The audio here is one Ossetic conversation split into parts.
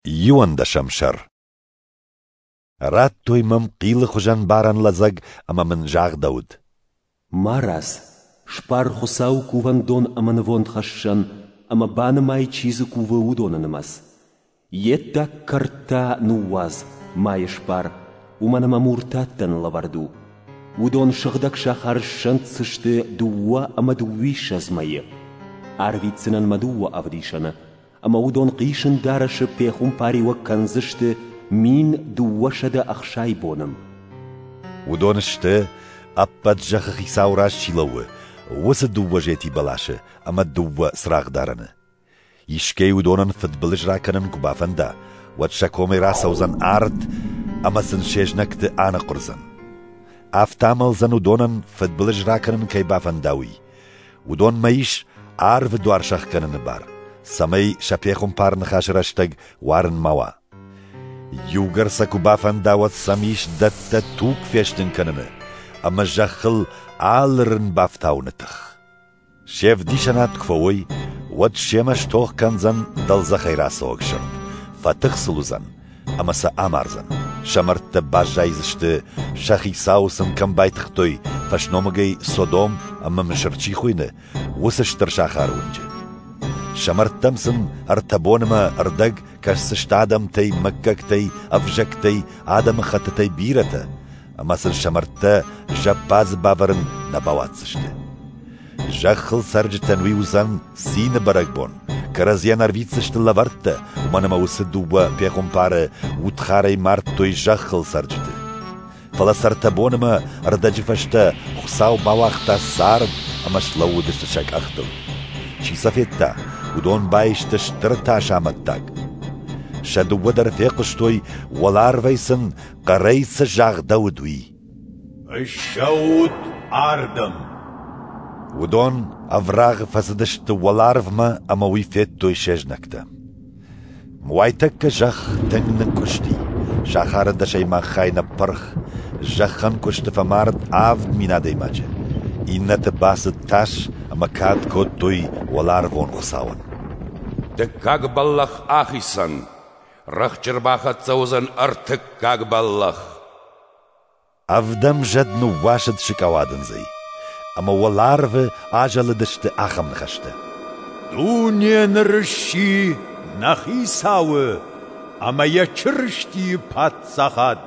Иуӕндӕсӕм сӕр. Радтой мӕм хъилы хуызӕн барӕн лӕдзӕг ӕмӕ мын загъдӕуыд. Марадз, сбар Хуыцауы кувӕндон ӕмӕ нывондхӕссӕн ӕмӕ банымай, чи дзы кувы, уыдоны нымӕц. Йе ддаг кӕрт та ныууадз, ма йӕ сбар, уымӕн ӕмӕ муртаттӕн лӕвӕрд у. Уыдон сыгъдӕг сахары ссӕнддзысты 22 мӕйы. Арвитдзынӕн мӕ дыууӕ ӕвдисӕны, ӕмӕ уыдон хъисын дарӕсы пехуымпариуӕг кӕндзысты 1260 боны. Уыдон сты, ӕппӕт зӕххы хицауы раз чи лӕууы, уыцы дыууӕ зети бӕласы ӕмӕ дыууӕ цырагъдарӕны. Искӕй уыдонӕн фыдбылыз ракӕнын куы бафӕнда, уӕд сӕ комӕй рацӕудзӕн арт ӕмӕ сын се знӕгты аныхъуырдзӕн. Афтӕ амӕлдзӕн уыдонӕн фыдбылыз ракӕнын кӕй бафӕнда, уый. Уыдонмӕ ис арвы дуар сӕхгӕныны бар, цӕмӕй сӕ пехуымпар ныхасы рӕстӕг уарын ма уа. Иугӕр сӕ куы бафӕнда, уӕд сӕм ис дӕттӕ туг фестын кӕныны ӕмӕ зӕххыл алы рын бафтауыны тых. Се вдисӕнад куы фӕуой, уӕд семӕ стох кӕндзӕн дӕлдзӕхӕй рацӕуӕг сырд, фӕтых сыл уыдзӕн ӕмӕ сӕ амардзӕн. Сӕ мӕрдтӕ баззайдзысты, сӕ хицауы сын кӕм байтыгътой, фӕсномыгӕй Содом ӕмӕ Мысыр чи хуыйны, уыцы стыр сахары уынджы. Сӕ мӕрдтӕм сын ӕртӕ боны мӕ ӕрдӕг кӕсдзысты адӕмтӕй, мыггӕгтӕй, ӕвзӕгтӕй, адӕмыхӕттытӕй бирӕтӕ, ӕмӕ сын сӕ мӕрдтӕ зӕппадзы бавӕрын нӕ бауадздзысты. Зӕххыл цӕрджытӕн уый уыдзӕн цины бӕрӕгбон, кӕрӕдзийӕн ӕрвитдзысты лӕвӕрттӕ, уымӕн ӕмӕ уыцы дыууӕ пехуымпары удхарӕй мардтой зӕххыл цӕрджыты. Фӕлӕ сӕ ӕртӕ боны мӕ ӕрдӕджы фӕстӕ Хуыцау бауагъта цард ӕмӕ слӕууыдысты сӕ къӕхтыл. Чи сӕ федта, уыдон баисты стыр тасы амӕттаг. Сӕ дыууӕ дӕр фехъуыстой, уӕларвӕй сын хъӕрӕй цы загъдӕуыд, уый. Ссӕут ардӕм! Уыдон ӕврагъы фӕцыдысты уӕларвмӕ ӕмӕ уый федтой се знӕгтӕ. Уайтӕккӕ зӕхх тынг нынкъуысти, сахары дӕсӕймаг хай ныппырх, зӕххӕнкъуысты фӕмард 7000 адӕймаджы. Иннӕты бацыд тас ӕмӕ кад кодтой уӕларвон Хуыцауӕн. Дыккаг бӕллӕх ахицӕн, рӕхджы ӕрбахӕццӕ уыдзӕн ӕртыккаг бӕллӕх. Ӕвдӕм зӕд ныууасыд сыкъауадындзӕй, ӕмӕ уӕларвы азӕлыдысты ахӕм ныхӕстӕ. Дуне ныр сси нӕ Хицауы ӕмӕ йӕ Чырыстийы паддзахад,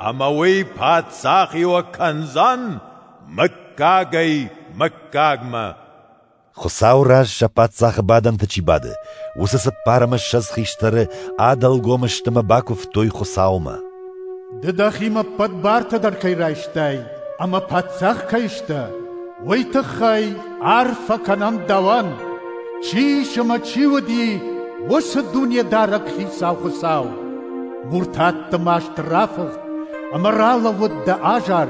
ӕмӕ уый паддзахиуӕг кӕндзӕн мыггагӕй мыггагмӕ. Хуыцауы раз сӕ паддзахы бадӕнты чи бады, уыцы 24 хистӕры адӕлгом сты ӕмӕ бакуывтой Хуыцаумӕ. Ды дӕхимӕ ӕппӕт бартӕ дӕр кӕй райстай ӕмӕ паддзах кӕй сдӕ, уый тыххӕй арфӕ кӕнӕм дӕуӕн, чи ис ӕмӕ чи уыди, уыцы Дунедарӕг Хицау Хуыцау. Муртатты маст рафыхт ӕмӕ ралӕууыд дӕ азар,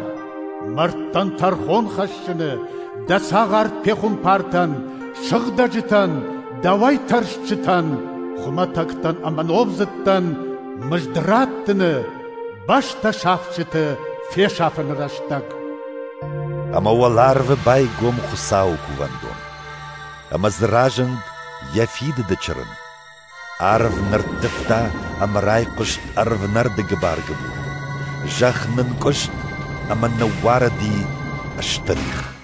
мӕрдтӕн тӕрхон хӕссыны, дӕ цагъар пехуымпартӕн, сыгъдӕджытӕн, дӕуӕй тӕрсджытӕн, хуымӕтӕгтӕн ӕмӕ номдзыдтӕн мызд раттыны, бӕстӕ сафджыты фесафыны рӕстӕг. Ӕмӕ уӕларвы байгом Хуыцауы кувӕндон, ӕмӕ дзы разынд йӕ фидыды чырын. Арв нырттывта ӕмӕ райхъуыст ӕрвнӕрды гыбар-гыбур. Зӕхх нынкъуыст ӕмӕ ныууарыди стыр их.